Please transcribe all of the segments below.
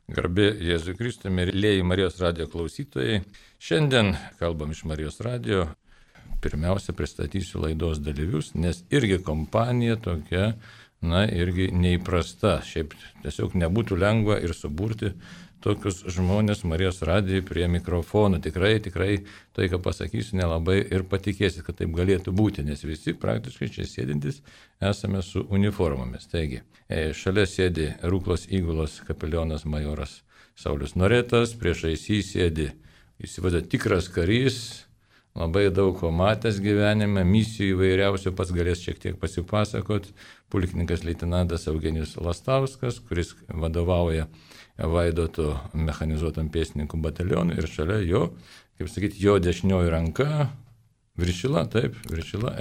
Garbė Jėzui Kristui, mėlyjeji Marijos radijo klausytojai. Šiandien kalbam iš Marijos radijo. Pirmiausia, pristatysiu laidos dalyvius, nes irgi kompanija tokia, irgi neįprasta. Šiaip tiesiog nebūtų lengva ir suburti tokius žmonės Marijos radijai prie mikrofonų. Tikrai, tai, ką pasakysiu, nelabai ir patikėsit, kad taip galėtų būti, nes visi praktiškai čia sėdintys esame su uniformomis. Taigi, šalia sėdi Ruklos įgulos kapelionas majoras Saulius Noretas, priešais jį sėdi, įsivaizduoja, tikras karys, labai daug ko matęs gyvenime, misijų įvairiausių, pats galės šiek tiek pasipasakot, pulkininkas leitenantas Eugenijus Lastauskas, kuris vadovauja Vaidoto mechanizuotam pėstininkų batalionui ir šalia jo, jo dešinioji ranka, viršila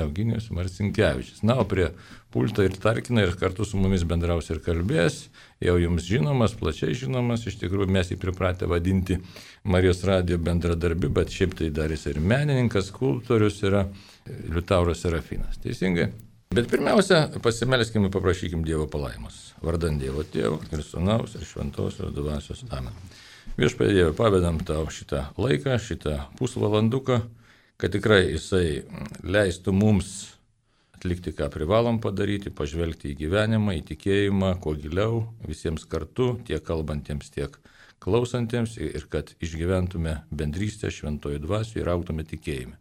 Eugenijus Marcinkevičius. O prie pulto ir tarkina ir kartu su mumis bendraus ir kalbės, jau jums žinomas, plačiai žinomas, iš tikrųjų mes jį pripratę vadinti Marijos radijo bendradarbiu, bet šiaip tai dar jis ir menininkas, skulptorius yra Liutauras Serafinas. Teisingai? Bet pirmiausia, pasimelskime, paprašykime Dievo palaimos. Vardan Dievo Tėvo ir Sūnaus ir Šventosios Dvasios. Amen. Viešpatie Dieve, pavedam tau šitą laiką, šitą pusvalanduką, kad tikrai jisai leistų mums atlikti, ką privalom padaryti, pažvelgti į gyvenimą, į tikėjimą, kuo giliau, visiems kartu, tiek kalbantiems, tiek klausantiems, ir kad išgyventume bendrystę Šventojo Dvasioje ir augtume tikėjime.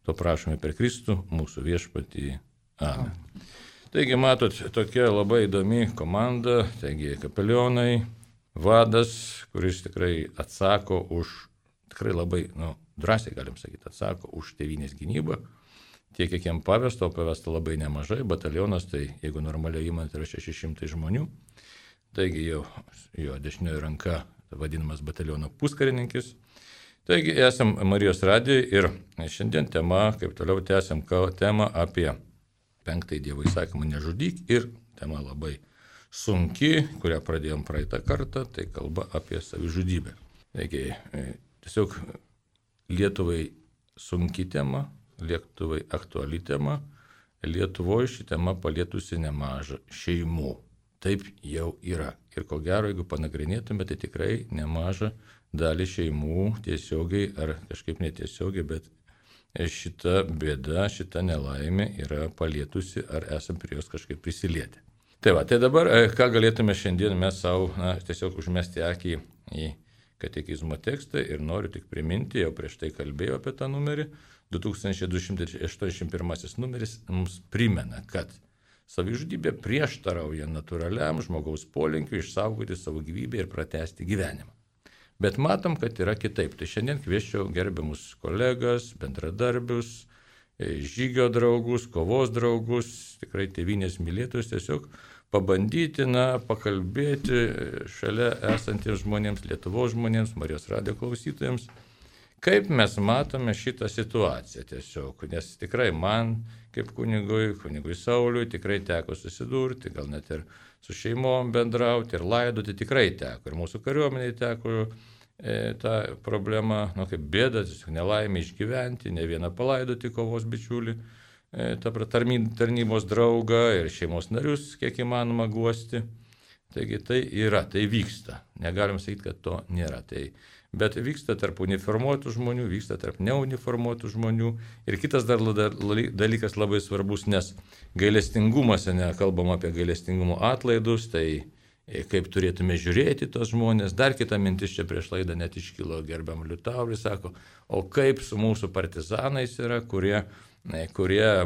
To prašome per Kristų, mūsų viešpatį. Amen. Taigi, matot, tokia labai įdomi komanda, taigi kapelionai, vadas, kuris tikrai atsako už, tikrai labai, drąsiai galim sakyti, atsako už tėvynės gynybą, tiek kiek jam pavesta, o pavesta labai nemažai, batalionas, tai jeigu normaliai įmant yra 600 žmonių, taigi jo dešinioji ranka vadinamas bataliono puskarininkis. Taigi, esam Marijos radijoje ir šiandien tema, kaip toliau tęsiam temą apie 5 Dievo įsakymą nežudyk ir tema labai sunki, kurią pradėjom praeitą kartą, tai kalba apie savižudybę. Taigi, tiesiog Lietuvai sunki tema, Lietuvai aktuali tema, Lietuvoje ši tema palietusi nemažą šeimų. Taip jau yra. Ir ko gero, jeigu panagrinėtume, tai tikrai nemažą dalį šeimų tiesiogiai ar kažkaip netiesiogiai, bet šita bėda, šita nelaimė yra palietusi ar esam prie jos kažkaip prisilietę. Tai dabar, ką galėtume šiandien mes savo tiesiog užmesti akį į katekizmo tekstą ir noriu tik priminti, jau prieš tai kalbėjau apie tą numerį, 2281 numeris mums primena, kad savižudybė prieštarauja natūraliam žmogaus polinkiui išsaugoti savo gyvybę ir pratęsti gyvenimą. Bet matom, kad yra kitaip. Tai šiandien kvieščiau gerbiamus kolegas, bendradarbius, žygio draugus, kovos draugus, tikrai tėvynės mylėtojus, tiesiog pabandyti, pakalbėti šalia esantiems žmonėms, Lietuvos žmonėms, Marijos radijo klausytojams, kaip mes matome šitą situaciją tiesiog. Nes tikrai man, kaip kunigui Sauliui, tikrai teko susidurti, gal net ir su šeimom bendrauti ir laidoti tikrai teko. Ir mūsų kariuomeniai teko tą problemą, kaip bėdą, nelaimę išgyventi, ne vieną palaidoti kovos bičiulį, tarnybos draugą ir šeimos narius, kiek įmanoma guosti. Taigi tai yra, tai vyksta. Negalim sakyti, kad to nėra. Bet vyksta tarp uniformuotų žmonių, vyksta tarp neuniformuotų žmonių. Ir kitas dar dalykas labai svarbus, nes gailestingumas, kalbam apie gailestingumo atlaidus, tai kaip turėtume žiūrėti tos žmonės. Dar kita mintis čia prieš laidą net iškilo gerbiam Liutaurui, sako, o kaip su mūsų partizanais yra, kurie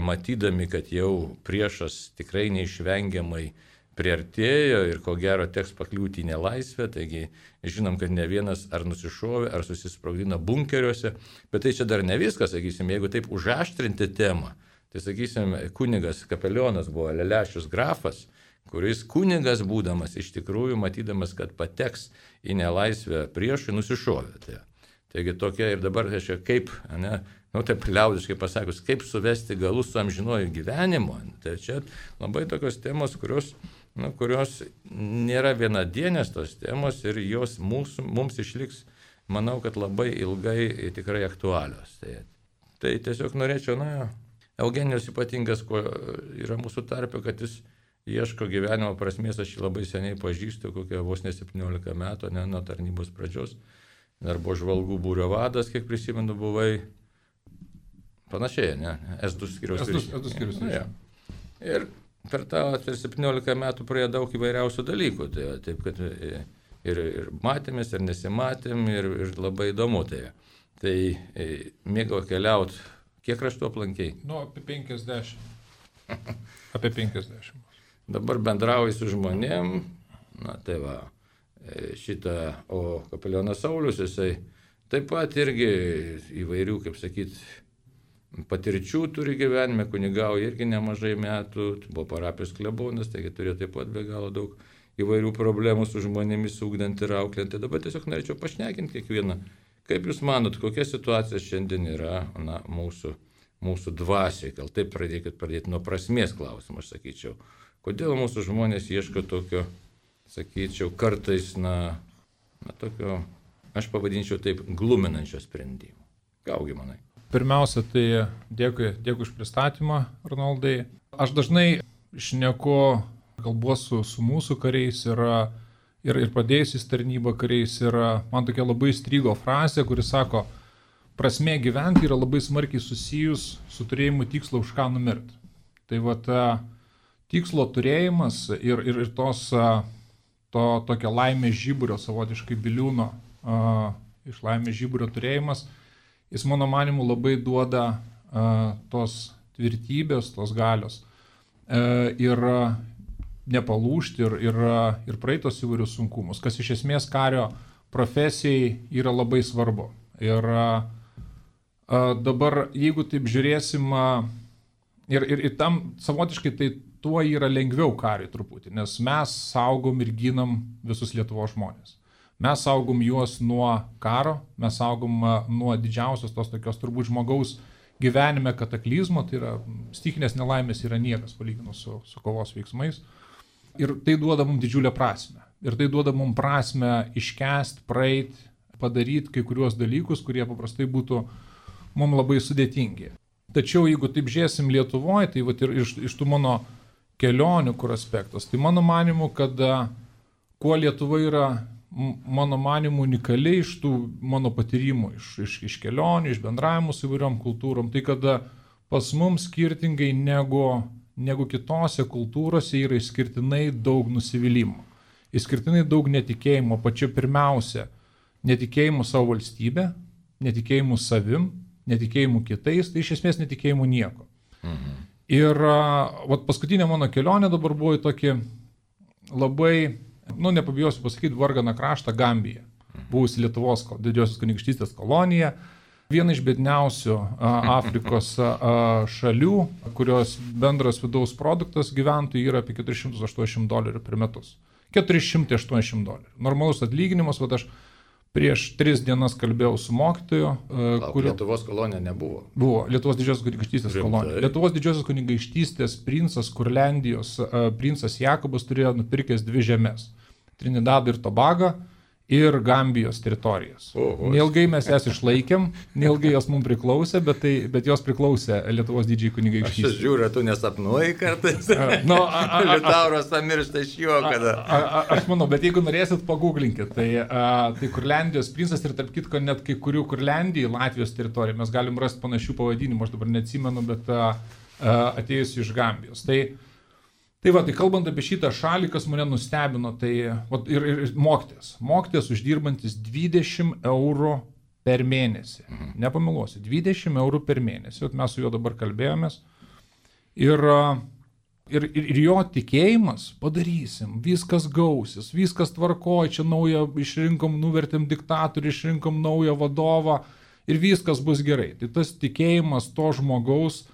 matydami, kad jau priešas tikrai neišvengiamai priartėjo ir ko gero teks pakliūti į nelaisvę, taigi žinom, kad ne vienas ar nusišovė, ar susisprogdino bunkeriuose, bet tai čia dar ne viskas, sakysim, jeigu taip užaštrinti temą, tai sakysim, kunigas kapelionas buvo Lelešius grafas, kuris kunigas būdamas iš tikrųjų, matydamas, kad pateks į nelaisvę priešui, nusišovė. Taigi tokia ir dabar, kaip, taip liaudiškai pasakius, kaip suvesti galus su amžinuoju gyvenimu, tai čia labai tokios temos, kurios nėra vienadienės tos temos ir jos mums išliks, manau, kad labai ilgai tikrai aktualios. Tai tiesiog norėčiau, Eugenijus ypatingas, kuo yra mūsų tarpe, kad ieško gyvenimo prasmės, aš jį labai seniai pažįstu, kokie vos ne 17 metų, ne nuo tarnybos pradžios. Dar buvo žvalgų būrio vadas, kiek prisimenu, buvai. Panašiai, ne? S2 skyriaus viršininkas. Ja. Ir per 17 metų praėjo daug įvairiausių dalykų. Tai, taip, kad ir matėmės, ir nesimatėm, ir labai įdomu. Tai mėgau keliauti. Kiek kraštų aplankiai? Apie 50. Apie 50. Dabar bendrauju su žmonėm. Tai va. O kapelionas Saulius, jisai taip pat irgi įvairių, kaip sakyti, patirčių turi gyvenime, kunigauja irgi nemažai metų, buvo parapijos klebonas, taigi turėjo taip pat be galo daug įvairių problemų su žmonėmis, ugdant ir auklint. Dabar tiesiog norėčiau pašnekinti kiekvieną. Kaip Jūs manot, kokia situacija šiandien yra mūsų dvasiai? Gal taip pradėti nuo prasmės klausimą, aš sakyčiau. Kodėl mūsų žmonės ieško tokio, sakyčiau, kartais, tokio, aš pavadinčiau taip, gluminančio sprendimo. Gaugi manai? Pirmiausia, tai dėkui už pristatymą, Arnoldai. Aš dažnai kalbuosiu su mūsų kariais ir pradėjusiais tarnybą kariais ir man tokia labai strigo frazė, kuris sako, prasmė gyventi yra labai smarkiai susijus su turėjimu tikslo už ką numirti. Tai tikslo turėjimas ir to tokio laimės žiburio, savotiškai biliūno iš laimės žiburio turėjimas, jis mano manimu labai duoda tos tvirtybės, tos galios ir nepalūžti ir praeitos įvairius sunkumus, kas iš esmės kario profesijai yra labai svarbu. Ir dabar, jeigu taip žiūrėsim, ir tam savotiškai tai tuo yra lengviau kariui truputį, nes mes saugom ir ginam visus Lietuvos žmonės. Mes saugom juos nuo karo, mes saugom nuo didžiausios tos tokios turbūt žmogaus gyvenime kataklizmo, tai yra stichinės nelaimės yra niekas palyginus su kovos veiksmais. Ir tai duoda mums didžiulę prasmę. Ir tai duoda mums prasmę iškęsti, praeiti, padaryti kai kuriuos dalykus, kurie paprastai būtų mums labai sudėtingi. Tačiau jeigu taip žiūrėsim Lietuvoje, tai ir iš tų mano kelionių kur aspektas, tai mano manimu, kad kuo Lietuva yra mano manimu unikali iš tų mano patyrimų, iš kelionių, iš bendravimų su įvairiom kultūrom, tai kad pas mums skirtingai negu kitose kultūrose yra išskirtinai daug nusivylimų, išskirtinai daug netikėjimo, pačia pirmiausia, netikėjimo savo valstybę, netikėjimo savim, netikėjimų kitais, tai iš esmės netikėjimų nieko. Mhm. Ir paskutinė mano kelionė dabar buvo į tokį labai, nepabijosiu pasakyti, varganą kraštą Gambiją, buvusi Lietuvos didžiosios kunigaikštystės kolonija, viena iš biedniausių Afrikos šalių, kurios bendras vidaus produktas gyventojų yra apie $480 per metus. $480. Normalus atlyginimas, aš prieš 3 dienas kalbėjau su mokytoju. Lietuvos kolonija nebuvo. Buvo Lietuvos didžiosios kunigaikštystės kolonija. Lietuvos didžiosios kunigaikštystės princas Kurlendijos, princas Jakobas turėjo nupirkęs 2 žemes. Trinidadą ir Tobagą ir Gambijos teritorijas. Neilgai mes jas išlaikėm, neilgai jos mums priklausė, bet jos priklausė Lietuvos didžiai kunigaikštystės. Aš žiūriu, tu nesapnuoji kartais. Liutauras pamiršta iš jo, kada. Aš manau, bet jeigu norėsit, paguglinkit. Tai Kurlendijos princas ir tarp kitko net kai kurių Kurlendijai Latvijos teritoriją mes galim rasti panašių pavadinimų, aš dabar neatsimenu, bet atėjusi iš Gambijos. Tai kalbant apie šitą šalį, kas mane nustebino, tai ir mokytojas uždirbantis 20 eurų per mėnesį. Nepameluosiu, 20 eurų per mėnesį. Mes su juo dabar kalbėjomės. Ir jo tikėjimas, padarysim, viskas gausis, viskas tvarkoja, čia naują išrinkom, nuvertėm diktatorių, išrinkom naują vadovą ir viskas bus gerai. Tai tas tikėjimas to žmogaus,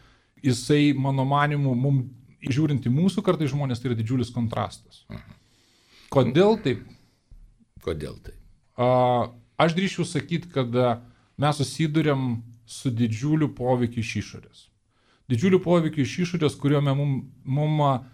jisai, mano manimu, mums žiūrint į mūsų kartai žmonės, tai yra didžiulis kontrastas. Kodėl taip? Kodėl taip? Aš drįsčiau sakyti, kad mes susiduriam su didžiuliu poveikiu iš išorės. Didžiuliu poveikiu iš išorės, kuriuo mums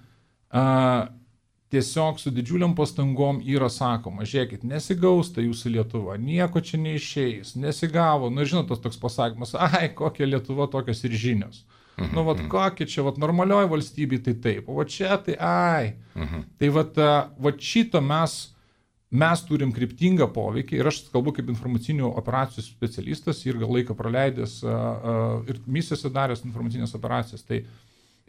tiesiog su didžiuliam pastangom yra sakoma, žiūrėkit, nesigaus tai jūsų Lietuva, nieko čia neišeis, nesigavo. Ir žinot, tas toks pasakymas, kokia Lietuva, tokios ir žinios. Nu, vat kokie čia, vat normalioji valstybė tai taip, o čia tai ai. Tai vat šito mes turim kryptingą poveikį ir aš kalbu kaip informacinių operacijų specialistas ir gal laiką praleidęs ir misijose daręs informacinės operacijas. Tai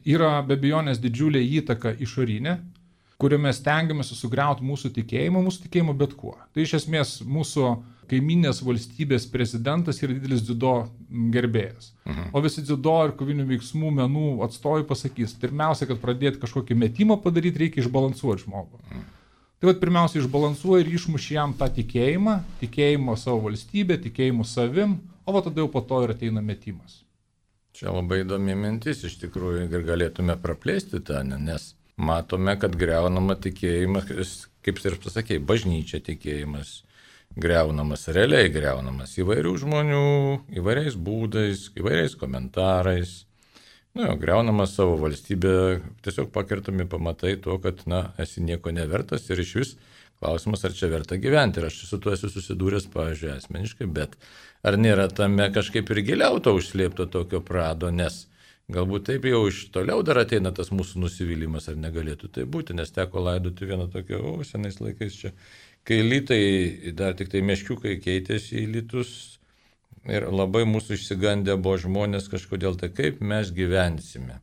yra be abejonės didžiulė įtaka išorinė, kurio mes stengiamės sugriauti mūsų tikėjimą bet kuo. Tai iš esmės mūsų kaiminės valstybės prezidentas yra didelis dziudo gerbėjas. O visi dziudo ir kovinių veiksmų menų atstovai pasakys, pirmiausia, kad pradėti kažkokį metimą padaryti, reikia išbalansuoti žmogų. Tai vat pirmiausia išbalansuoja ir išmuši jam tą tikėjimą savo valstybę, tikėjimą savim, o va tada jau po to ir ateina metimas. Čia labai įdomi mintis, iš tikrųjų, ir galėtume praplėsti tą, nes matome, kad greunama tikėjimas, kaip ir pasakėjai, bažnyčia tikėjimas, realiai greunamas įvairių žmonių, įvairiais būdais, įvairiais komentarais. Greunama savo valstybę, tiesiog pakertami pamatai to, kad, esi nieko nevertas ir iš vis klausimas, ar čia verta gyventi. Ir aš su tuo esu susidūręs, pavyzdžiui, asmeniškai, bet ar nėra tame kažkaip ir giliau to užslėpto tokio prado, nes galbūt taip jau iš toliau dar ateina tas mūsų nusivylimas, ar negalėtų tai būti, nes teko laidoti vieną tokią, senais laikais čia, kai litai, dar tik tai meškiukai keitėsi į litus ir labai mūsų išsigandę buvo žmonės kažkodėl, tai kaip mes gyvensime.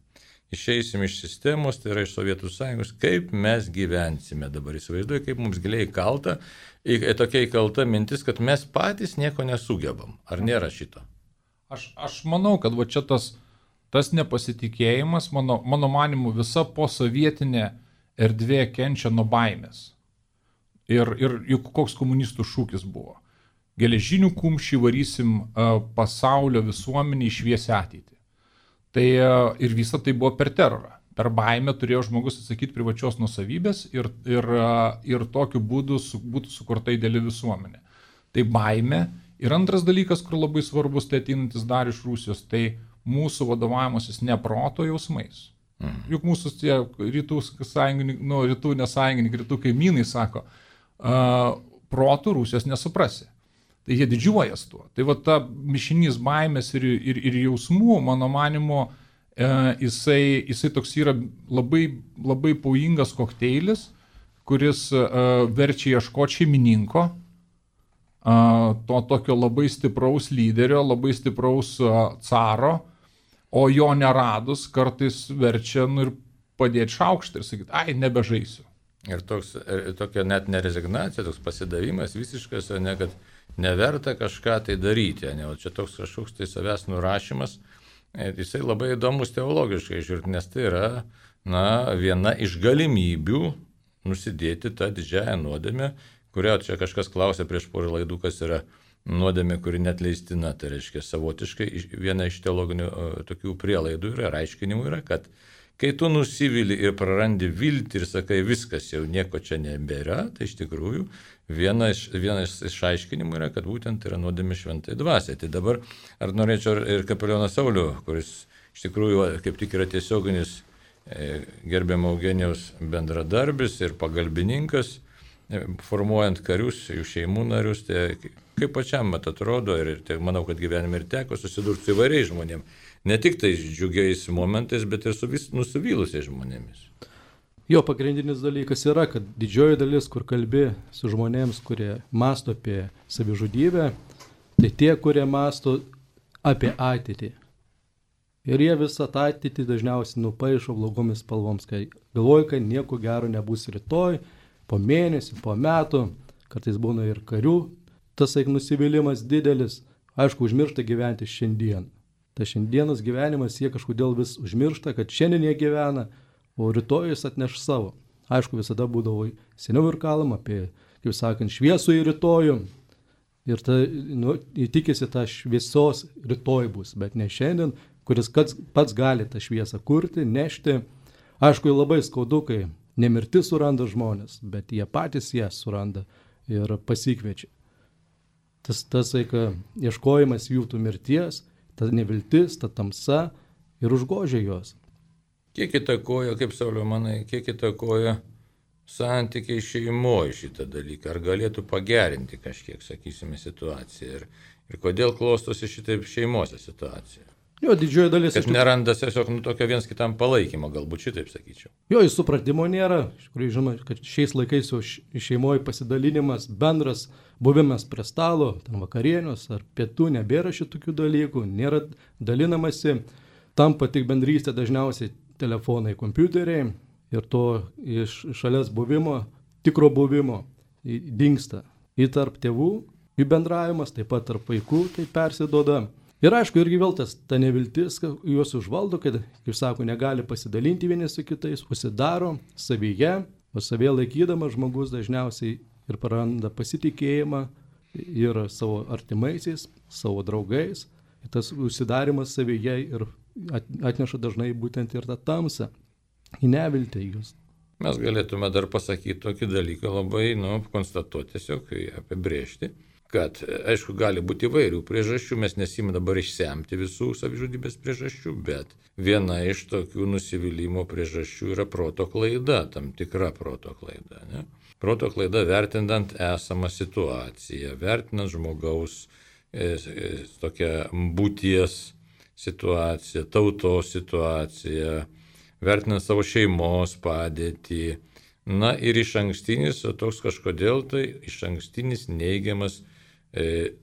Išeisim iš sistemos, tai yra iš Sovietų Sąjungos, kaip mes gyvensime dabar. Įsivaizduoju, kaip mums giliai įkalta, tokia įkalta mintis, kad mes patys nieko nesugebam. Ar nėra šito? Aš manau, kad va čia tas nepasitikėjimas, mano manimu, visa posovietinė erdvė kenčia nuo baimės. Ir juk koks komunistų šūkis buvo. Geležinių kumščių varysim pasaulio visuomenį į šviesią ateitį. Tai ir visa tai buvo per terorą. Per baimę turėjo žmogus atsakyti privačios nuosavybės ir tokiu būdu būtų sukurta ideali visuomenė. Tai baimė. Ir antras dalykas, kur labai svarbus, tai ateinantis dar iš Rusijos, tai mūsų vadovavimasis ne proto jausmais. Juk mūsų tie rytų nesąjungininkai, rytų kaimynai sako, protų Rusijos nesuprasi. Tai jie didžiuojas tuo. Tai va ta mišinys baimės ir jausmų, mano manimu, jisai toks yra labai, labai pavojingas kokteilis, kuris verčia ieškoti šeimininko, to tokio labai stipraus lyderio, labai stipraus caro, o jo neradus kartais verčia ir padėti šaukštą ir sakyti, ai, nebežaisiu. Ir tokia net nerezignacija, toks pasidavimas visiškas, ne kad neverta kažką tai daryti, ne, o čia toks kažkoks tai savęs nurašymas, jisai labai įdomus teologiškai žiūrint, nes tai yra, viena iš galimybių nusidėti tą didžiąją nuodėmę, kurio čia kažkas klausė prieš porą laidų, kas yra nuodėmė, kuri netleistina, tai reiškia savotiškai viena iš teologinių tokių prielaidų yra, aiškinimų yra, kad kai tu nusivili ir prarandi viltį ir sakai, viskas jau nieko čia nebėra, tai iš tikrųjų vienas iš aiškinimų yra, kad būtent yra nuodėmė šventai dvasiai. Tai dabar ar norėčiau ir kapelioną Saulių, kuris iš tikrųjų kaip tik yra tiesioginis gerbiamo Eugenijaus bendradarbis ir pagalbininkas, formuojant karius, jų šeimų narius, tai kaip pačiam atrodo ir tai manau, kad gyvenime ir teko susidurti su įvairiais žmonėmis. Ne tik tais džiugiais momentais, bet ir su nusivylusiais žmonėmis. Jo pagrindinis dalykas yra, kad didžioji dalis, kur kalbi su žmonėms, kurie masto apie savižudybę, tai tie, kurie masto apie ateitį. Ir jie visą tą ateitį dažniausiai nupaišo blogomis spalvoms, kai galvoja, kad nieko gero nebus rytoj, po mėnesį, po metų, kartais būna ir karių, tas nusivylimas didelis, aišku, užmiršta gyventi šiandien. Ta šiandienos gyvenimas jie kažkodėl vis užmiršta, kad šiandien jie gyvena, o rytoj jis atneš savo. Aišku, visada būdavo seniau ir kalbama apie, kaip sakant, šviesų į rytojų. Ir tikisi tą šviesos rytoj bus, bet ne šiandien, kuris pats gali tą šviesą kurti, nešti. Aišku, labai skaudu, kai nemirti suranda žmonės, bet jie patys ją suranda ir pasikviečia. Tas ieškojimas jų tų mirties, ta neviltis, ta tamsa ir užgožia juos. Kiek įtakoja, kaip Sauliau manai, kiek įtakoja santykiai šeimoje šitą dalyką? Ar galėtų pagerinti kažkiek, sakysime, situaciją? Ir kodėl klostosi šitaip šeimose situacija? Jo, didžioji dalis. Kad neranda tiesiog tokio viens kitam palaikymo, galbūt šitaip sakyčiau. Jo, jis supratimo nėra. Iš tikrųjų, žinoma, kad šiais laikais jau šeimoje pasidalinimas, bendras buvimas prie stalo, ten vakarienius ar pietų, nebėra šitokių dalykų, nėra dalinamasi, tampa tik bendrystė dažniausiai telefonai, kompiuteriai ir to iš šalies buvimo, tikro buvimo dingsta. Į tarp tėvų, jų bendravimas, taip pat tarp vaikų tai persiduoda. Ir aišku, irgi vėl ta neviltis juos užvaldo, kad, kaip sako, negali pasidalinti vieni su kitais, užsidaro savyje, o savyje laikydamas žmogus dažniausiai ir praranda pasitikėjimą ir savo artimaisiais, savo draugais. Ir tas užsidarimas savyje ir atneša dažnai būtent ir tą tamsą, į neviltį jūs. Mes galėtume dar pasakyti tokį dalyką, labai, konstatuoti, tiesiog apibrėžti, kad, aišku, gali būti įvairių priežasčių, mes nesimame dabar išsemti visų savižudybės priežasčių, bet viena iš tokių nusivylimų priežasčių yra proto klaida, tam tikra proto klaida. Ne? Proto klaida vertinant esamą situaciją, vertinant žmogaus tokią būties situaciją, tautos situaciją, vertinant savo šeimos padėtį. Na ir iš ankstinis, toks kažkodėl tai iš ankstinis neigiamas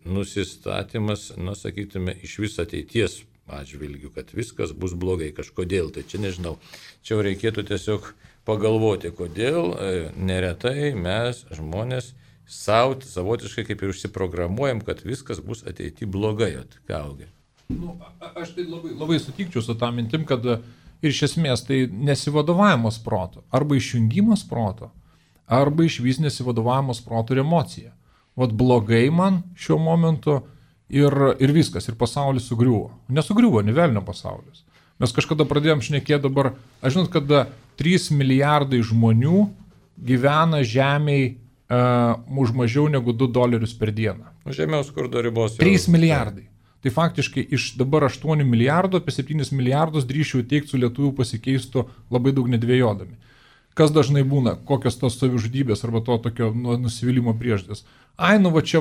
nusistatymas, sakytume, iš vis ateities atžvilgių, kad viskas bus blogai kažkodėl. Tai čia nežinau, čia reikėtų tiesiog pagalvoti, kodėl neretai mes žmonės savotiškai kaip ir užsiprogramuojam, kad viskas bus ateityje blogai. Aš tai labai sutikčiau su tą mintim, kad ir iš esmės tai nesivadovavimas proto, arba išjungimas proto, arba iš vis nesivadovavimas proto ir emocija. Vat blogai man šiuo momentu ir viskas, ir pasaulis sugriuvo. Nesugriuvo, ne velnio pasaulis. Mes kažkada pradėjom šnekėti dabar, aš žinot, kad 3 milijardai žmonių gyvena žemėj už mažiau negu $2 per dieną. Žemiau skurdo ribos. 3 milijardai. Tai faktiškai iš dabar 8 milijardų, apie 7 milijardus drįšiau teikti su lietuvių pasikeistų labai daug nedvėjodami. Kas dažnai būna, kokios tos savižudybės arba to tokio nusivylimo priežastis. Va čia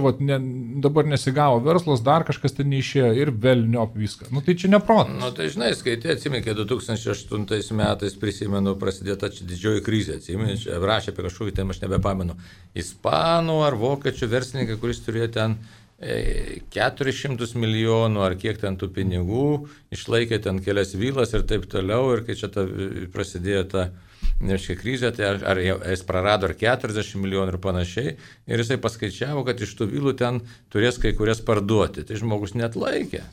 dabar nesigavo verslas, dar kažkas ten neišėjo ir velniop viską. Tai čia neprotas. Tai žinai, skaitai, atsimink, 2008 metais, prisimenu, prasidėta didžioji krizė, atsimink, rašė apie kažkokį, ten aš nebepamenu, ispanų ar vokiečių verslininkai, kuris turėjo ten 400 milijonų ar kiek ten tų pinigų, išlaikė ten kelias vilas ir taip toliau, ir kai čia prasidėjo ta krizė, tai ar jis prarado ar 40 milijonų ir panašiai, ir jisai paskaičiavo, kad iš tų vilų ten turės kai kurias parduoti. Tai žmogus netlaikė.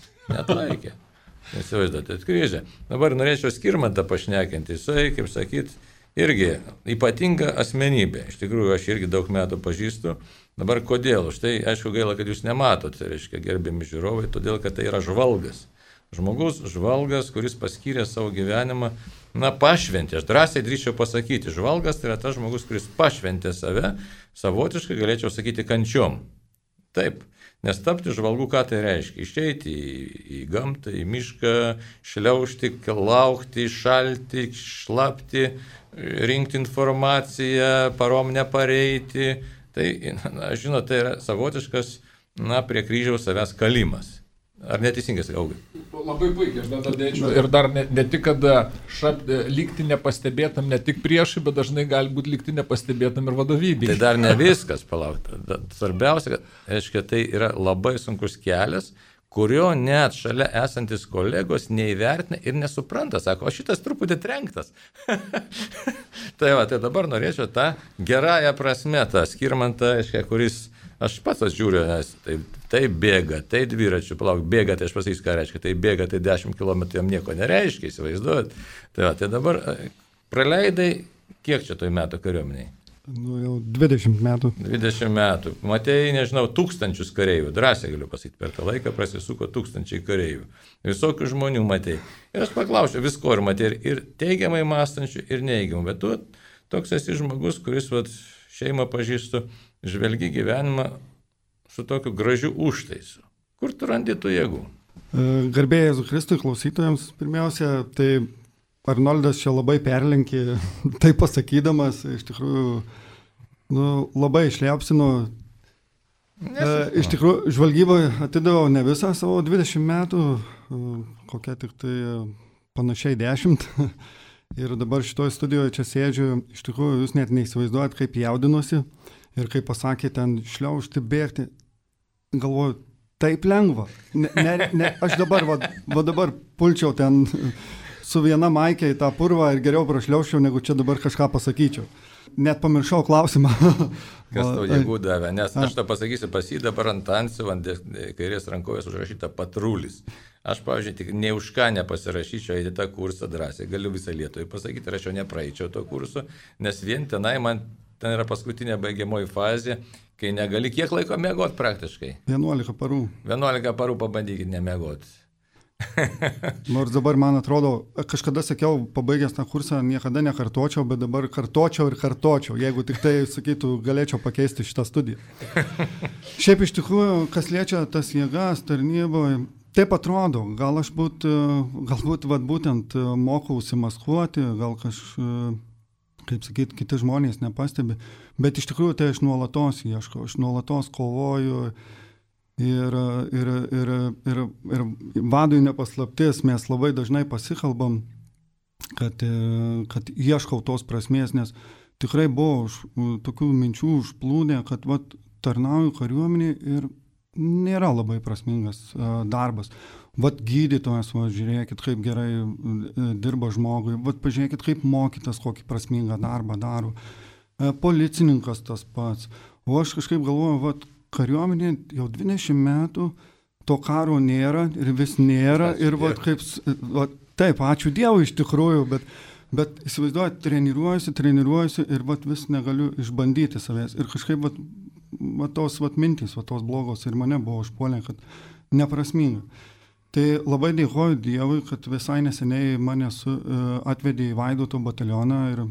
Įsivaizduote, krizė. Dabar norėčiau Skirmantą pašnekinti, jisai, kaip sakyt, irgi ypatinga asmenybė. Iš tikrųjų, aš irgi daug metų pažįstu. Dabar kodėl? Štai, aišku, gaila, kad jūs nematot, tai reiškia, gerbiami žiūrovai, todėl, kad tai yra žvalgas. Žmogus žvalgas, kuris paskyrė savo gyvenimą, pašventė. Aš drąsiai drįsčiau pasakyti, žvalgas tai yra tas žmogus, kuris pašventė save, savotiškai galėčiau sakyti kančiom. Taip, nes tapti žvalgu, ką tai reiškia? Išeiti į gamtą, į mišką, šliaužti, laukti, šalti, šlapti, rinkti informaciją, parom nepareiti. Tai, žinot, tai yra savotiškas, prie kryžiaus savęs kalimas. Ar neteisingai sakau? Labai puikiai, aš dar dėčiau. Ir dar ne tik, kad likti nepastebėtam ne tik priešai, bet dažnai gali būti likti nepastebėtam ir vadovybei. Tai dar ne viskas, palaukti. Svarbiausia, kad, aiškiai, tai yra labai sunkus kelias, kurio net šalia esantis kolegos neįvertina ir nesupranta. Sako, o šitas truputį trenktas. Tai dabar norėčiau tą gerąją prasme, tą Skirmantą, aiškiai, kuris... Aš pats žiūriu, nes tai bėga, tai dviračių, bėga, tai aš pasakysiu, ką reiškia, tai bėga, tai 10 km jam nieko nereiškia, įsivaizduojat. Tai dabar praleidai, kiek čia toj metų kariuomeniai? Jau 20 metų. 20 metų. Matėjai, nežinau, 1000 kareivių, drąsiai galiu pasakyti, per tą laiką prasisuko 1000 kareivių. Visokių žmonių matėjai. Ir aš paklausiau, visko ir matėjai, ir teigiamai mąstančių, ir neigiamų. Bet tu toks esi žmogus, kuris šeimą pažįstu, žvelgi gyvenimą su tokiu gražiu užtaisu. Kur tu randi tų jėgų? Garbėjai Jėzui Kristui klausytojams, pirmiausia, tai Arnoldas čia labai perlenkė, tai pasakydamas, iš tikrųjų, labai išliapsino. Iš tikrųjų, žvalgyboje atidaviau ne visą savo 20 metų, kokia tik tai panašiai 10. Ir dabar šitoje studijoje čia sėdžiu, iš tikrųjų jūs net neįsivaizduojat, kaip jaudinuosi ir kaip pasakė ten šliaužti, bėgti. Galvoju, taip lengva. Aš dabar, dabar pulčiau ten su viena maikė į tą purvą ir geriau prašliauščiau, negu čia dabar kažką pasakyčiau. Net pamiršau klausimą. Kas tau jėgų davė, nes aš tą pasakysiu, pas jį dabar ant antsių, ant kairės rankovės užrašyta patrulis. Aš, pavyzdžiui, tik ne už ką nepasirašyčiau į tą kursą drąsiai. Galiu visą Lietuvą pasakyti, ir aš jau nepraeičiau to kurso, nes vien tenai man ten yra paskutinė baigiamoji fazė, kai negali kiek laiko miegoti praktiškai. 11 parų. 11 parų pabandykit nemiegoti. Nors dabar, man atrodo, kažkada sakiau, pabaigęs tą kursą, niekada nekartočiau, bet dabar kartočiau ir kartočiau, jeigu tik tai, sakytų, galėčiau pakeisti šitą studiją. Šiaip iš tikrųjų, kas liečia tas jėgas tarnyboje, taip atrodo, gal aš galbūt būtent mokausi maskuoti, gal kaip sakyti, kiti žmonės nepastebi, bet iš tikrųjų tai aš nuolatos ieškau, aš nuolatos kovoju. Ir vadui nepaslaptis, mes labai dažnai pasikalbam, kad ieškau tos prasmės, nes tikrai buvo tokių minčių užplūdę, kad tarnauju kariuomenį ir nėra labai prasmingas darbas. Gydytojas, žiūrėkit, kaip gerai dirba žmogui, pažiūrėkit, kaip mokytas, kokį prasmingą darbą daro. Policininkas tas pats. O aš kažkaip galvoju, kariuomenė jau 20 metų, to karo nėra ir vis nėra. Ir taip, ačiū Dievui iš tikrųjų, bet įsivaizduoju, treniruojuosi ir vis negaliu išbandyti savęs. Ir kažkaip tos mintys, tos blogos ir mane buvo užpuolę, kad neprasminga. Tai labai dėkoju Dievui, kad visai neseniai mane atvedė į Vaidoto batalioną ir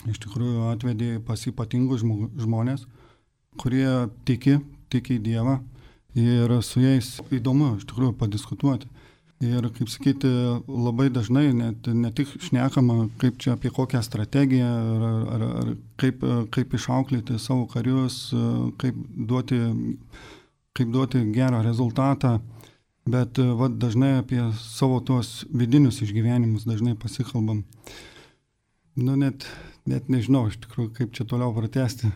iš tikrųjų atvedė pas ypatingus žmonės, kurie tiki į Dievą ir su jais įdomu iš tikrųjų padiskutuoti. Ir, kaip sakyti, labai dažnai ne tik šnekama, kaip čia apie kokią strategiją, ar kaip išauklėti savo karius, kaip duoti gerą rezultatą, bet dažnai apie savo tuos vidinius išgyvenimus dažnai pasikalbam. Net nežinau iš tikrųjų, kaip čia toliau pratęsti.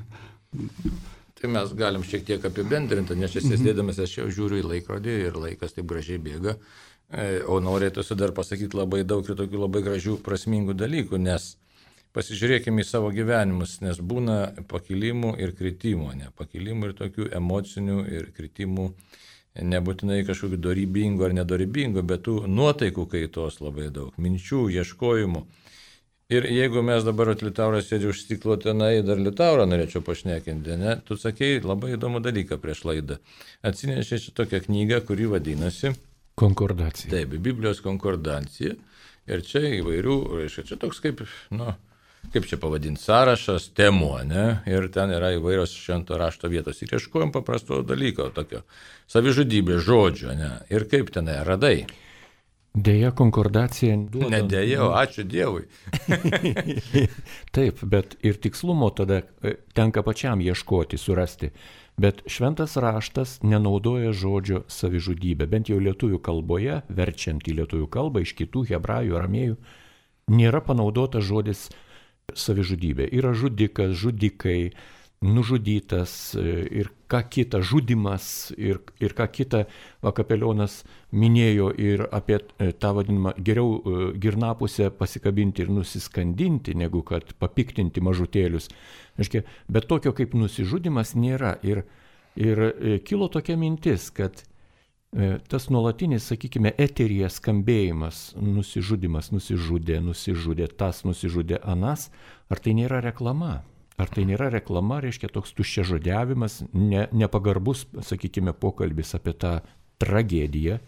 Tai mes galim šiek tiek apibendrinti, nes čia sėdėdamas aš jau žiūriu į laikrodį ir laikas taip gražiai bėga, o norėtųsi dar pasakyti labai daug ir tokių labai gražių prasmingų dalykų, nes pasižiūrėkime į savo gyvenimus, nes būna pakilimų ir kritimų, pakilimų ir tokių emocinių ir kritimų, nebūtinai kažkokių dorybingų ar nedorybingų, bet tų nuotaikų kaitos labai daug, minčių, ieškojimų. Ir jeigu mes dabar Liutauras sėdži už stiklo tenai, dar Liutaurą norėčiau pašnekinti, ne? Tu sakei labai įdomų dalyką prieš laidą. Atsinešė čia tokią knygą, kuri vadinasi Konkordacija. Taip, Biblijos konkordacija. Ir čia įvairių, reiškia, čia toks kaip čia pavadinti, sąrašas temų, ne? Ir ten yra įvairios švento rašto vietos. Ir ieškojom paprasto dalyko, tokio savižudybės žodžio, ne? Ir kaip tenai radai? Deja, konkordacija duoda. Ne deja, o ačiū Dievui. Taip, bet ir tikslumo tada tenka pačiam ieškoti, surasti. Bet šventas raštas nenaudoja žodžio savižudybė. Bent jau lietuvių kalboje, verčiant į lietuvių kalbą, iš kitų hebrajų, aramėjų, nėra panaudotas žodis savižudybė. Yra žudikas, žudikai, nužudytas ir ką kita, žudimas ir ką kita Kapelionas minėjo ir apie tą vadinamą geriau girnapusę pasikabinti ir nusiskandinti, negu kad papiktinti mažutėlius. Bet tokio kaip nusižudimas nėra. Ir kilo tokia mintis, kad tas nuolatinis, sakykime, eteryje skambėjimas, nusižudimas, nusižudė, tas nusižudė anas, ar tai nėra reklama? Ar tai nėra reklama, reiškia toks tuščiažodžiavimas, nepagarbus, sakykime, pokalbis apie tą tragediją.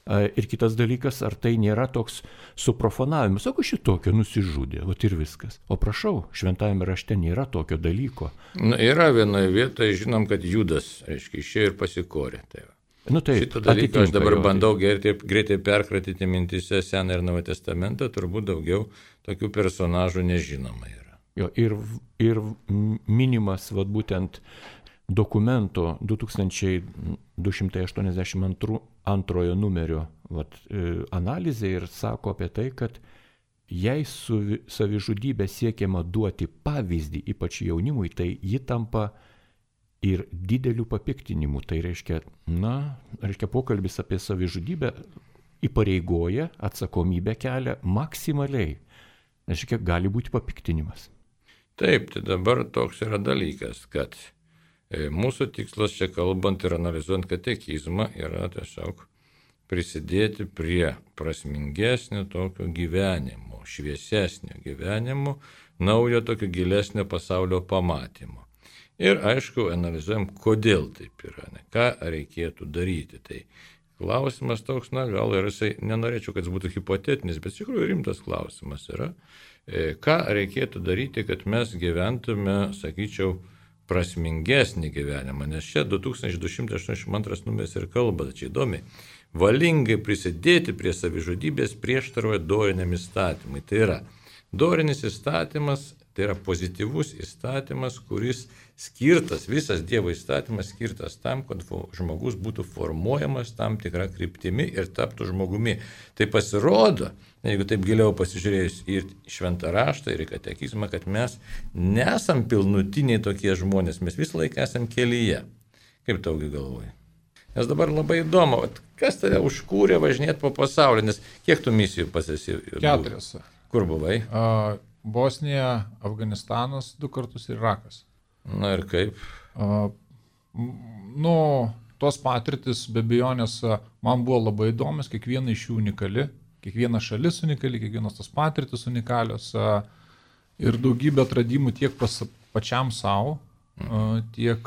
Ir kitas dalykas, ar tai nėra toks suprofanavimas, sako, šitokio nusižudė, ir viskas. O prašau, šventajame rašte nėra tokio dalyko. Yra vienoje vietoje, žinom, kad Judas, reiškia, išėjo ir pasikorė. Šitą dalyką aš dabar bandau greitai perkratyti mintise Seną ir Naują Testamentą, turbūt daugiau tokių personažų nežinoma yra. Ir minimas būtent dokumento 2282 numerio analizė ir sako apie tai, kad jei su savižudybė siekiama duoti pavyzdį, ypač jaunimui, tai ji tampa ir dideliu papiktinimu. Tai reiškia pokalbis apie savižudybę įpareigoja, atsakomybę kelia maksimaliai. Reiškia, gali būti papiktinimas. Taip, tai dabar toks yra dalykas, kad mūsų tikslas čia kalbant ir analizuojant katekizmą yra tiesiog prisidėti prie prasmingesnio tokio gyvenimo, šviesesnio gyvenimo, naujo tokio gilesnio pasaulio pamatymo. Ir aišku, analizuojam, kodėl taip yra, ką reikėtų daryti. Tai klausimas toks, gal ir jisai, nenorėčiau, kad jis būtų hipotetinis, bet iš tikrųjų rimtas klausimas yra, ką reikėtų daryti, kad mes gyventume, sakyčiau, prasmingesnį gyvenimą, nes čia 2282 numeris ir kalba, čia įdomi, valingai prisidėti prie savižudybės prieštaroja doriniam įstatymui. Tai yra, dorinis įstatymas, tai yra pozityvus įstatymas, kuris skirtas, visas Dievo įstatymas skirtas tam, kad žmogus būtų formuojamas tam tikrą kryptimi ir taptų žmogumi. Tai pasirodo, jeigu taip giliau pasižiūrėjus ir šventą raštą, ir į katekizmą, kad mes nesam pilnutiniai tokie žmonės, mes visą laiką esam kelyje. Kaip taugi galvoji? Nes dabar labai įdomu, kas tave užkūrė važinėti po pasaulį, nes kiek tu misijų pasisi? 4. Kur buvai? Bosnija, Afganistanas 2 kartus ir Irakas. Na ir kaip? Tos patirtis be abejonės man buvo labai įdomios, kiekviena iš jų unikali, kiekviena šalis unikali, kiekvienos tos patirtis unikalios ir daugybė atradimų tiek pačiam savo, tiek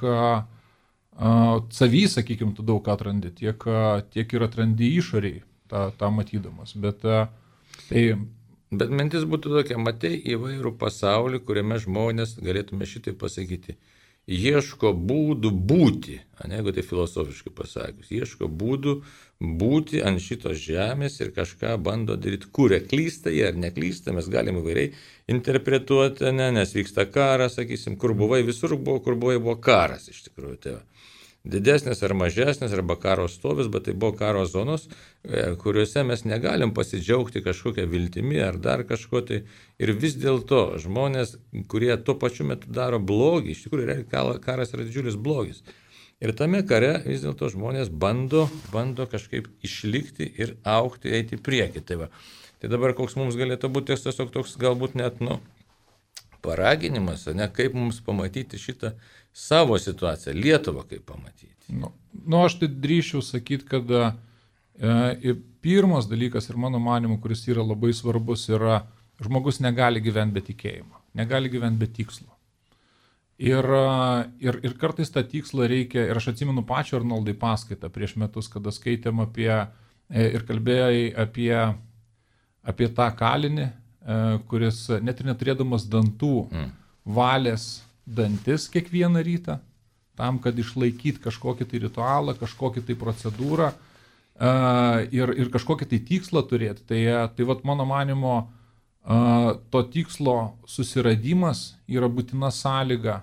savy, sakykime, tu daug ką atrandi, tiek ir atrandi išoriai tą matydamas. Bet mintis būtų tokia, matai įvairų pasaulį, kuriame žmonės, galėtume šitai pasakyti, ieško būdų būti, jeigu tai filosofiškai pasakius, ieško būdų būti ant šitos žemės ir kažką bando daryti, kuria klysta jie ar neklysta, mes galime įvairiai interpretuoti, nes vyksta karas, sakysim, kur buvai, visur buvo, kur buvo karas iš tikrųjų. Tai didesnės ar mažesnės, arba karo stovis, bet tai buvo karo zonos, kuriuose mes negalim pasidžiaugti kažkokią viltimi ar dar kažko tai. Ir vis dėlto žmonės, kurie tuo pačiu metu daro blogį, iš tikrųjų karas yra didžiulis blogis. Ir tame kare vis dėlto žmonės bando kažkaip išlikti ir augti, eiti į priekį. Tai dabar koks mums galėtų būti tiesiog toks galbūt net paraginimas, kaip mums pamatyti šitą savo situaciją, Lietuvą kaip pamatyti. Aš tai drįšiau sakyti, kad pirmas dalykas ir mano manimu, kuris yra labai svarbus, yra žmogus negali gyventi be tikėjimo, negali gyventi be tikslo. Ir kartais tą tikslą reikia, ir aš atsimenu pačio Arnoldai paskaitą prieš metus, kada skaitėm ir kalbėjai apie tą kalinį, kuris net ir neturėdamas dantų valės dantis kiekvieną rytą, tam, kad išlaikyti kažkokį tai ritualą, kažkokį tai procedūrą ir kažkokį tai tikslą turėti. Tai vat mano manimo, to tikslo susiradimas yra būtina sąlyga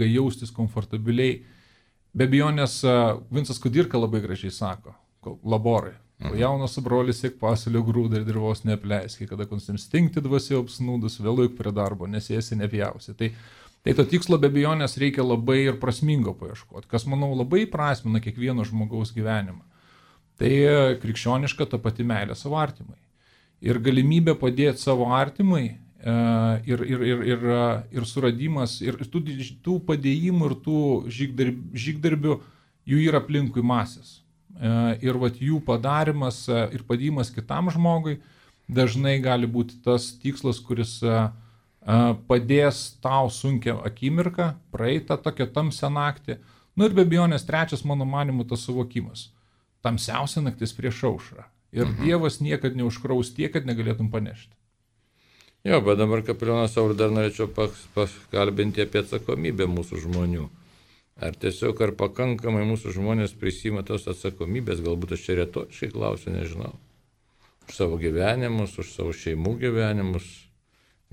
jaustis komfortabiliai. Be abejonės, Vincas Kudirka labai gražiai sako, laborai. Jaunas brolis siek pasaulio grūdą ir dirvos neapleiski, kada konstinkti dvasia apsnūdus, vėluik prie darbo, nesėsi nepjausi. Tai to tikslo be abejonės reikia labai ir prasmingo paieškoti, kas, manau, labai prasmina kiekvieno žmogaus gyvenimą. Tai krikščioniška ta pati meilė savo artimai. Ir galimybė padėti savo artimai ir suradimas, ir tų padėjimų ir tų žygdarbių, jų yra aplinkui masės. Ir jų padarimas ir padėjimas kitam žmogui dažnai gali būti tas tikslas, kuris padės tau sunkią akimirką, praeitą tokią tamsią naktį. Ir be abejonės trečias, mano manimu, tas suvokimas. Tamsiausia naktis prieš aušrą. Ir Dievas niekad neužkraus tiek, kad negalėtum panešti. Jo, bet dabar, kapelionas Saulius, dar norėčiau pakalbinti apie atsakomybę mūsų žmonių. Ar tiesiog, ar pakankamai mūsų žmonės prisima tos atsakomybės, galbūt aš čia retoriškai klausiu, nežinau. Už savo gyvenimus, už savo šeimų gyvenimus,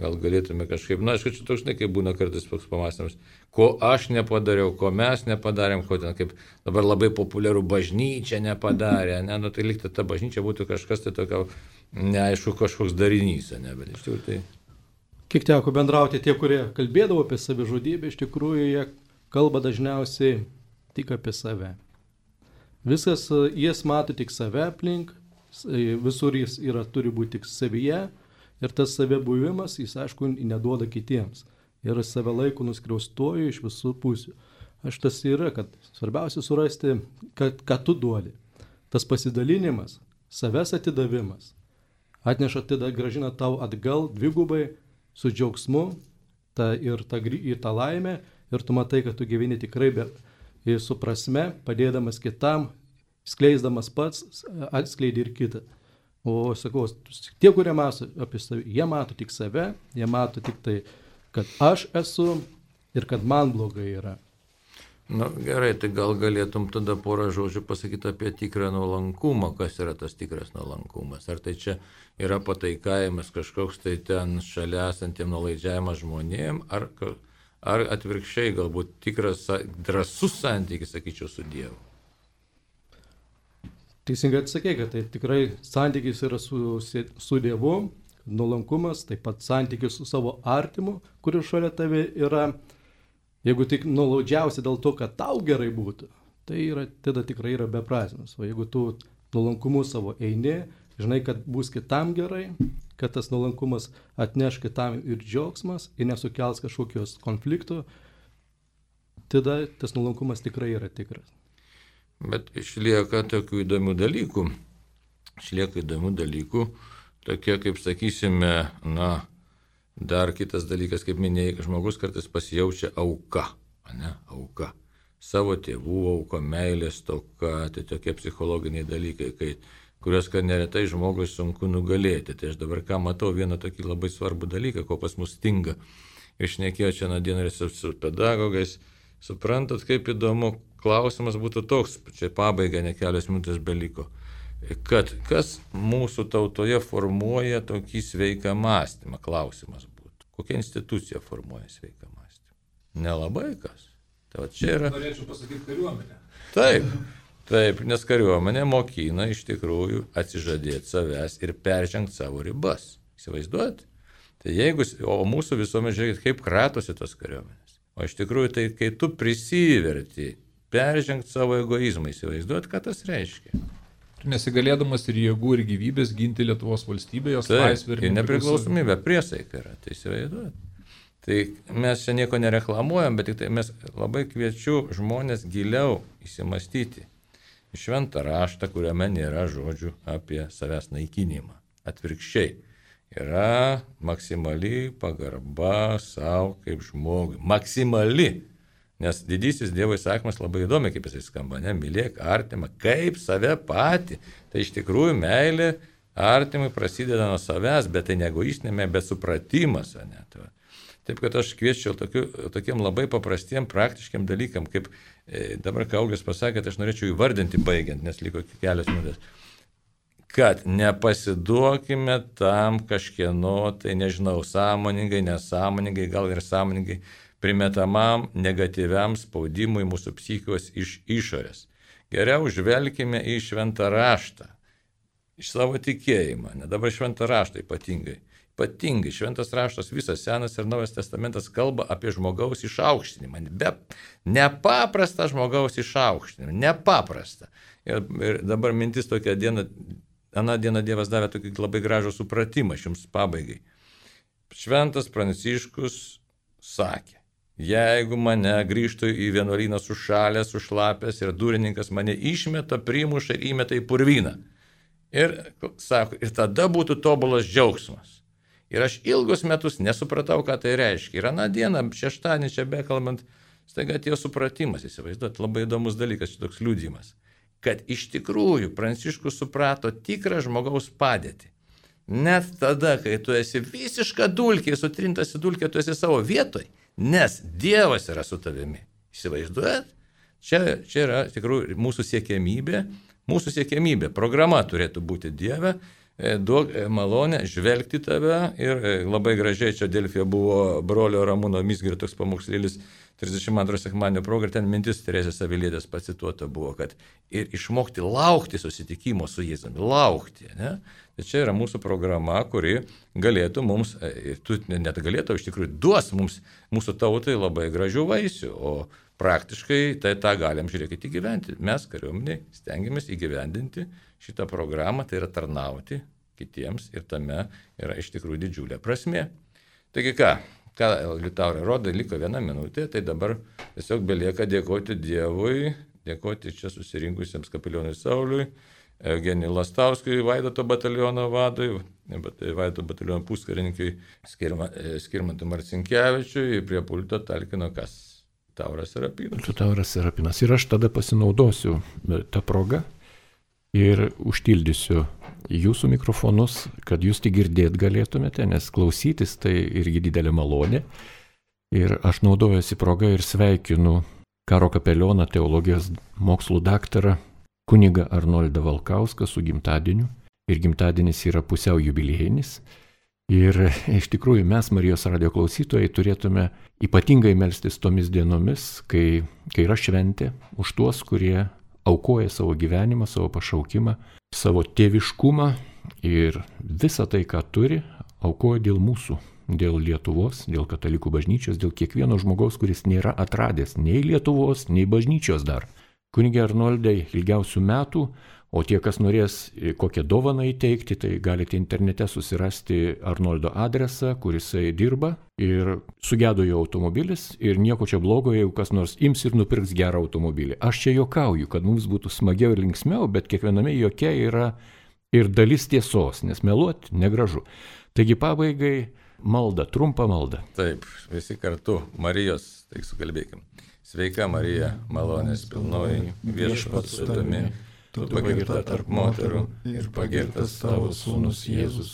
Gal galėtume kažkaip, na, aišku, čia toks, kaip būna kartais toks pamastymas, ko aš nepadariau, ko mes nepadarėm, ko ten kaip dabar labai populiaru bažnyčia nepadarė, ne, nu tai likti ta bažnyčia būtų kažkas tai tokio, neaišku, kažkoks darinys, ne, bet iš tikrųjų tai... Kiek teko bendrauti, tie, kurie kalbėdavo apie savižudybę, iš tikrųjų jie kalba dažniausiai tik apie save. Viskas, jis mato tik save aplink, visur jis turi būti tik savyje ir tas save buvimas, jis aišku, neduoda kitiems. Ir save laiko nuskriaustuoju iš visų pusių. Aš tas yra, kad svarbiausia surasti, ką tu duodi. Tas pasidalinimas, savęs atidavimas, atneša tada gražina tau atgal dvigubai su džiaugsmu ir tą laimę ir tu matai, kad tu gyveni tikrai su prasme, padėdamas kitam, skleisdamas pats, atskleidi ir kitą. O sakau, tie, kurie mato apie save, jie mato tik save, jie mato tik tai, kad aš esu ir kad man blogai yra. Na gerai, tai gal galėtum tada porą žodžių pasakyti apie tikrą nuolankumą, kas yra tas tikras nuolankumas. Ar tai čia yra pataikavimas kažkoks tai ten šalia esantiem nuolaidžiavimas žmonėm, ar atvirkščiai galbūt tikras drąsus santykis, sakyčiau, su Dievu. Teisingai atsakė, kad tai tikrai santykis yra su Dievu, nuolankumas, taip pat santykis su savo artimu, kuris šalia tave yra. Jeigu tik nuolaidžiausi dėl to, kad tau gerai būtų, tai tada tikrai yra beprasmis. O jeigu tu nuolankumu savo eini, žinai, kad bus kitam gerai, kad tas nuolankumas atneš kitam ir džiaugsmas ir nesukels kažkokios konfliktų, tada tas nuolankumas tikrai yra tikras. Bet išlieka tokių įdomių dalykų. Tokie, kaip sakysime, na, dar kitas dalykas, kaip minėjai, žmogus kartais pasijaučia auka, ne, auka. Savo tėvų auka, meilės toka, tai tokie psichologiniai dalykai, kuriuos neretai žmogui sunku nugalėti. Tai aš dabar ką matau, vieną tokį labai svarbų dalyką, ko pas mus stinga. Išnekėjau čia dieną ir su pedagogais. Suprantat, kaip įdomu, klausimas būtų toks, čia pabaiga, ne kelios minutės beliko, kad kas mūsų tautoje formuoja tokį sveiką mąstymą, klausimas būtų. Kokia institucija formuoja sveiką mąstymą? Nelabai kas. Tai čia yra... Norėčiau pasakyti kariuomenę. Taip, nes kariuomenė mokina iš tikrųjų atsižadėti savęs ir peržengti savo ribas. Įsivaizduojat? Tai o mūsų visuomenė, žiūrėkit, kaip kratosi tos kariuomenės. O iš tikrųjų, tai kai tu prisiverti peržengti savo egoizmą, įsivaizduot, ką tas reiškia. Nesigalėdamas ir jėgų, ir gyvybės ginti Lietuvos valstybę, jos laisvę ir nepriklausomybę, priesaika yra, tai įsivaizduot. Tai mes čia nieko nereklamuojam, bet tik tai mes labai kviečiu žmonės giliau įsimastyti į šventą raštą, kuriame nėra žodžių apie savęs naikinimą. Atvirkščiai. Yra maksimali pagarba savo kaip žmogui. Maksimali. Nes didysis Dievo įsakymas labai įdomi, kaip jisai skamba, ne? Mylėk artimą kaip save patį. Tai iš tikrųjų meilė artimui prasideda nuo savęs, bet tai ne egoistinė, bet supratimas. Ne? Taip, kad aš kviečiau tokiem labai paprastiem, praktiškiam dalykam, kaip dabar Kaulis pasakė, aš norėčiau įvardinti baigiant, nes liko kelios minutės. Kad nepasiduokime tam kažkieno, tai nežinau, sąmoningai, nesąmoningai, gal ir sąmoningai primetamam negatyviam spaudimui mūsų psichikos iš išorės. Geriau žvelkime į šventą raštą, iš savo tikėjimą, ne dabar šventą raštą ypatingai. Ypatingai šventas raštas, visas Senas ir Naujas testamentas kalba apie žmogaus išaukštinimą, nepaprastą žmogaus išaukštinimą, nepaprastą. Ir dabar mintis tokia diena. Aną dieną Dievas davė tokį labai gražų supratimą jums pabaigai. Šventas Pranciškus sakė, jeigu mane grįžtų į vienuolyną sušalęs, sušlapęs ir durininkas mane išmeta, primuša ir įmeta į purvyną. Ir sako, ir tada būtų tobulas džiaugsmas. Ir aš ilgus metus nesupratau, ką tai reiškia. Ir aną dieną, šeštadienį čia bekalbant, staiga atėjo supratimas, įsivaizduot, labai įdomus dalykas, čia toks liudijimas. Kad iš tikrųjų Pranciškus suprato tikrą žmogaus padėtį. Net tada, kai tu esi visiška dulkė, sutrintas į dulkę, tu esi savo vietoj, nes Dievas yra su tavimi. Įsivaizduojat? Čia yra tikrųjų mūsų siekiamybė, programa turėtų būti Dieve, duok malonę žvelgti tave ir labai gražiai čia Delfija buvo brolio Ramūno Mizgirio toks pamokslėlis 32 sekmadienio proga ir ten mintis Teresės Avilietės pacituota buvo, kad ir išmokti laukti susitikimo su Jėzumi, laukti. Ne? Tai čia yra mūsų programa, kuri galėtų mums, ir tu net galėtų, iš tikrųjų duos mums, mūsų tautai labai gražių vaisių, o praktiškai tai tą galim žiūrėkite įgyventi. Mes kariuomeniai stengiamės įgyvendinti šitą programą, tai yra tarnauti kitiems ir tame yra iš tikrųjų didžiulė prasmė. Taigi ką Liutaurai rodo, liko 1 minutė, tai dabar tiesiog belieka dėkoti Dievui, dėkoti čia susirinkusiems kapelionui Sauliui, Eugenijui Lastauskui, Vaidoto bataliono vadui, Vaidoto bataliono puskarininkui Skirmantui Marcinkevičiui, prie pulto talkino kas? Tauras Serapinas. Tauras Serapinas. Ir aš tada pasinaudosiu tą progą ir užtildysiu jūsų mikrofonus, kad jūs tik girdėt galėtumėte, nes klausytis tai irgi didelė malonė. Ir aš naudojuosi progą ir sveikinu karo kapelioną, teologijos mokslų daktarą, kunigą Arnoldą Valkauską su gimtadieniu. Ir gimtadienis yra pusiau jubiliejinis. Ir iš tikrųjų mes, Marijos radijo klausytojai, turėtume ypatingai melstis tomis dienomis, kai yra šventė, už tuos, kurie aukoja savo gyvenimą, savo pašaukimą, savo tėviškumą ir visą tai, ką turi, aukoja dėl mūsų, dėl Lietuvos, dėl katalikų bažnyčios, dėl kiekvieno žmogaus, kuris nėra atradęs nei Lietuvos, nei bažnyčios dar. Kunige Arnoldai, ilgiausių metų, o tie, kas norės kokią dovaną įteikti, tai galite internete susirasti Arnoldo adresą, kur jisai dirba ir sugedo jo automobilis ir nieko čia blogo, jeigu kas nors ims ir nupirks gerą automobilį. Aš čia juokauju, kad mums būtų smagiau ir linksmiau, bet kiekviename jokia yra ir dalis tiesos, nes meluoti negražu. Taigi pabaigai malda, trumpa malda. Taip, visi kartu, Marijos, tai sukalbėkim. Sveika Marija, malonės pilnoji, viešpats su tavimi. Tu pagirta tarp moterų ir pagirtas tavo sūnus Jėzus.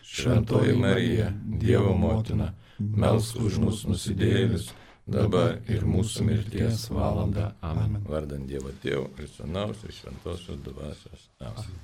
Šventoji Marija, Dievo motina, melsk už mus nusidėjėlius, dabar ir mūsų mirties valanda. Amen. Vardant Dievo Tėvo ir Sūnaus ir Šventosios Dvasios. Amen.